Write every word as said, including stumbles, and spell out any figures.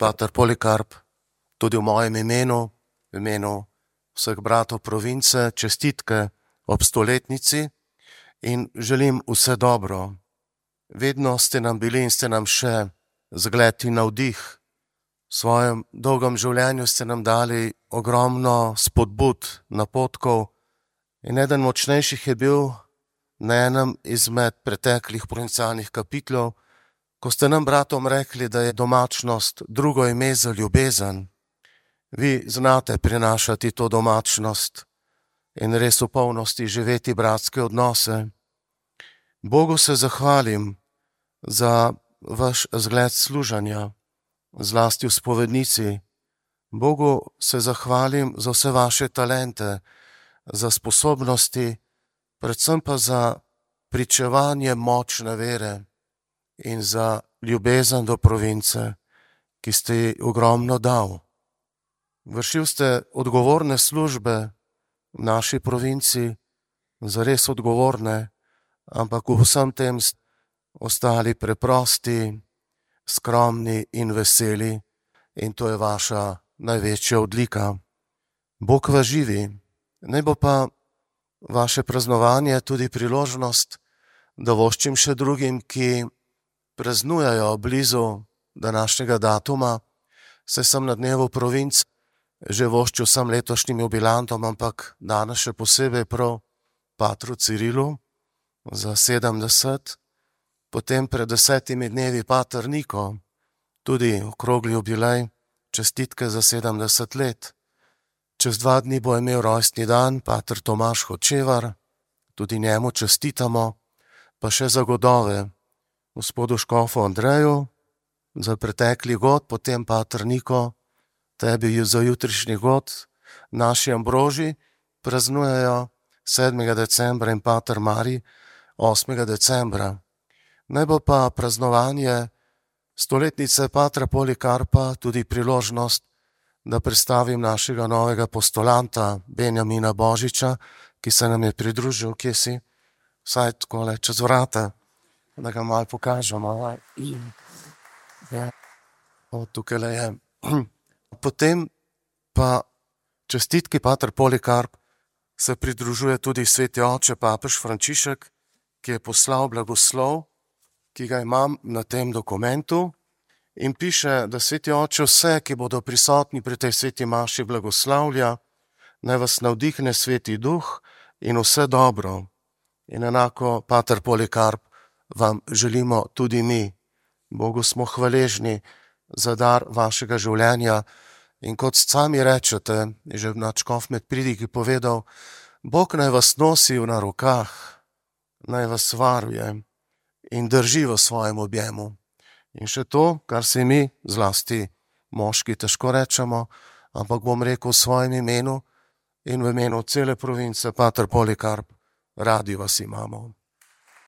pater Polikarp, tudi v mojem imenu, v imenu vseh bratov province, čestitke ob stoletnici in želim vse dobro. Vedno ste nam bili in ste nam še zgled in navdih. V svojem dolgem življenju ste nam dali ogromno spodbud, napotkov in eden močnejših je bil na enem izmed preteklih provincialnih kapitlov, ko ste nam bratom rekli, da je domačnost drugo ime za ljubezen. Vi znate prinašati to domačnost in res v polnosti živeti bratske odnose. Bogu se zahvalim za vaš zgled služenja, zlasti v spovednici. Bogu se zahvalim za vse vaše talente, za sposobnosti, predvsem pa za pričevanje močne vere in za ljubezen do province, ki ste ji ogromno dal. Vršil ste odgovorne službe v naši provinci, zares odgovorne, ampak v vsem tem ste ostali preprosti, skromni in veseli in to je vaša največja odlika. Bog vas živi, naj bo pa vaše praznovanje tudi priložnost, da voščim še drugim, ki praznujejo blizu današnjega datuma, saj sem na dnevu provinc že voščil sem letošnjim jubilantom, ampak danes še posebej prav patru Cirilu za sedemdeset, potem pred desetimi dnevi pater Niko, tudi okrogli jubilej, čestitke za sedemdeset let. Čez dva dni bo imel rojstni dan pater Tomaž Hočevar, tudi njemu čestitamo, pa še za godove gospodu škofu Andreju, za pretekli god, potem pater Niko, tebi za jutrišnji god, naši Ambroži praznujejo sedmega decembra in pater Marij osmega decembra. Naj bo pa praznovanje stoletnice patra Polikarpa tudi priložnost, da predstavim našega novega postulanta Benjamina Božiča, ki se nam je pridružil, kje si, vsaj takole čez vrata, da ga malo pokažemo. Ja. O, tukaj je. Potem pa čestitki pater Polikarp se pridružuje tudi sveti oče papež Frančišek, ki je poslal blagoslov, ki ga imam na tem dokumentu in piše, da sveti oče vse, ki bodo prisotni pri tej sveti maši blagoslavlja, naj vas navdihne sveti duh in vse dobro. In enako, pater Polikarp, vam želimo tudi mi. Bogu smo hvaležni za dar vašega življenja in kot sami rečete, je že nadškof med pridiki povedal, Bog naj vas nosi na rokah, naj vas varuje in drži v svojem objemu. In še to, kar si mi, zlasti moški, težko rečemo, ampak bom rekel v svojem imenu in v imenu cele province, pater Polikarp, radi vas imamo.